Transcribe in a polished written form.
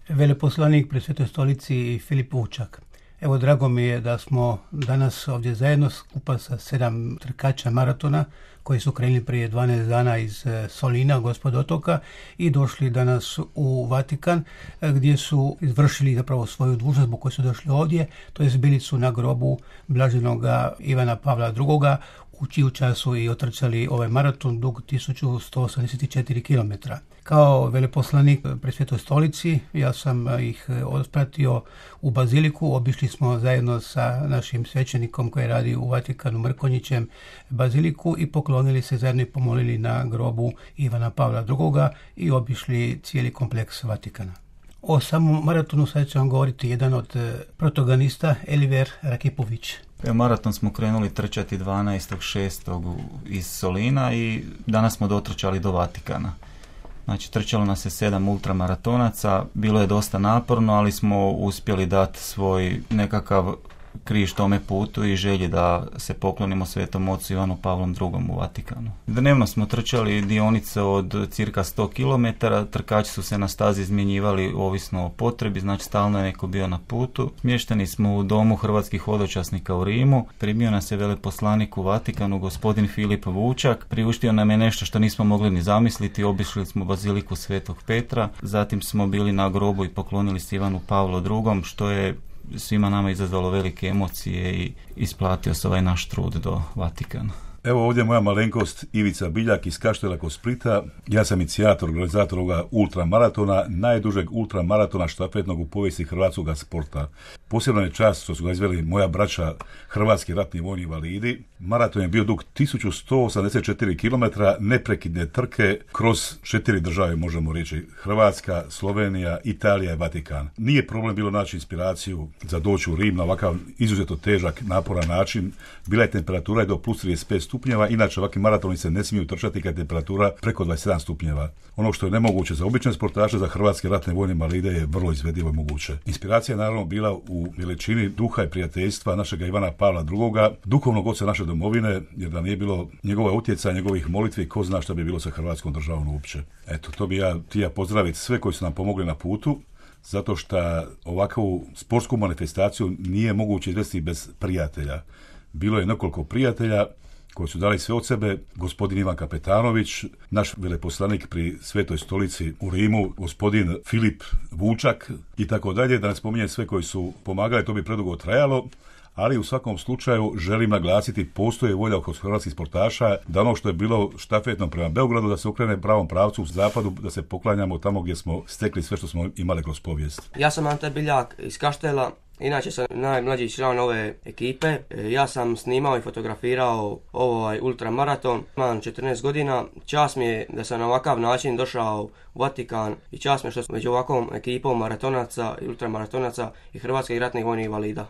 veleposlanik pri Svetoj stolici Filip Vučak. Evo, drago mi je da smo danas ovdje zajedno skupa sa 7 trkača maratona koji su krenuli prije 12 dana iz Solina, gospod otoka, i došli danas u Vatikan gdje su izvršili zapravo svoju dužnost zbog koje su došli ovdje, to jest bili su na grobu blaženoga Ivana Pavla II. U čiju času i otrčali ovaj maraton dug 1184 km. Kao veleposlanik pri Svetoj stolici ja sam ih otpratio u baziliku, obišli smo zajedno sa našim svećenikom koji radi u Vatikanu Mrkonjićem baziliku i poklonili se zajedno i pomolili na grobu Ivana Pavla II. I obišli cijeli kompleks Vatikana. O samom maratonu sad će vam govoriti jedan od protagonista, Eliver Rakipović. Maraton smo krenuli trčati 12.6. iz Solina i danas smo dotrčali do Vatikana. Znači, trčalo nas je 7 ultramaratonaca, bilo je dosta naporno, ali smo uspjeli dati svoj nekakav križ tome putu i želji da se poklonimo Svetom ocu Ivanu Pavlom II. U Vatikanu. Dnevno smo trčali dionice od cirka 100 km, trkači su se na stazi izmjenjivali ovisno o potrebi, znači stalno je neko bio na putu. Smješteni smo u domu hrvatskih hodočasnika u Rimu, primio nas je veleposlanik u Vatikanu, gospodin Filip Vučak, priuštio nam je nešto što nismo mogli ni zamisliti, obišli smo baziliku Svetog Petra, zatim smo bili na grobu i poklonili se Ivanu Pavlu II, što je svima nama izazvalo velike emocije i isplatio se ovaj naš trud do Vatikana. Evo ovdje moja malenkost Ivica Biljak iz Kaštela kod Splita. Ja sam inicijator, organizator ovoga ultramaratona, najdužeg ultramaratona štafetnog u povijesti hrvatskog sporta. Posebno je čast što su ga izveli moja braća, hrvatski ratni vojni invalidi. Maraton je bio dug 1184 km neprekidne trke kroz 4 države, možemo reći. Hrvatska, Slovenija, Italija i Vatikan. Nije problem bilo naći inspiraciju za doći u Rim na ovakav izuzetno težak, naporan način. Bila je temperatura do plus 35 stupnjeva, inače ovakvi maratoni se ne smiju trčati kad je temperatura preko 27 stupnjeva. Ono što je nemoguće za obične sportaše, za hrvatske ratne vojne invalide je vrlo izvedivo i moguće. Inspiracija je naravno bila u veličini duha i prijateljstva našega Ivana Pavla II, duhovnog oca naše domovine, jer da nije bilo njegova utjecaja, njegovih molitvi, ko zna šta bi bilo sa hrvatskom državom uopće. Eto, to bi ja htio pozdraviti sve koji su nam pomogli na putu, zato što ovakvu sportsku manifestaciju nije moguće izvesti bez prijatelja. Bilo je nekoliko prijatelja koji su dali sve od sebe, gospodin Ivan Kapetanović, naš veleposlanik pri Svetoj stolici u Rimu, gospodin Filip Vučak i tako dalje, da ne spominjem sve koji su pomagali, to bi predugo trajalo, ali u svakom slučaju želim naglasiti, postoji volja kod hrvatskih sportaša da ono što je bilo štafetno prema Beogradu, da se okrene pravom pravcu u zapadu, da se poklanjamo tamo gdje smo stekli sve što smo imali kroz povijest. Ja sam Ante Biljak iz Kaštela. Inače sam najmlađi član ove ekipe. Ja sam snimao i fotografirao ovaj ultramaraton. Imam 14 godina. Čast mi je da sam na ovakav način došao u Vatikan i čast mi je što sam među ovakvom ekipom maratonaca i ultramaratonaca i hrvatskih ratnih vojnih invalida.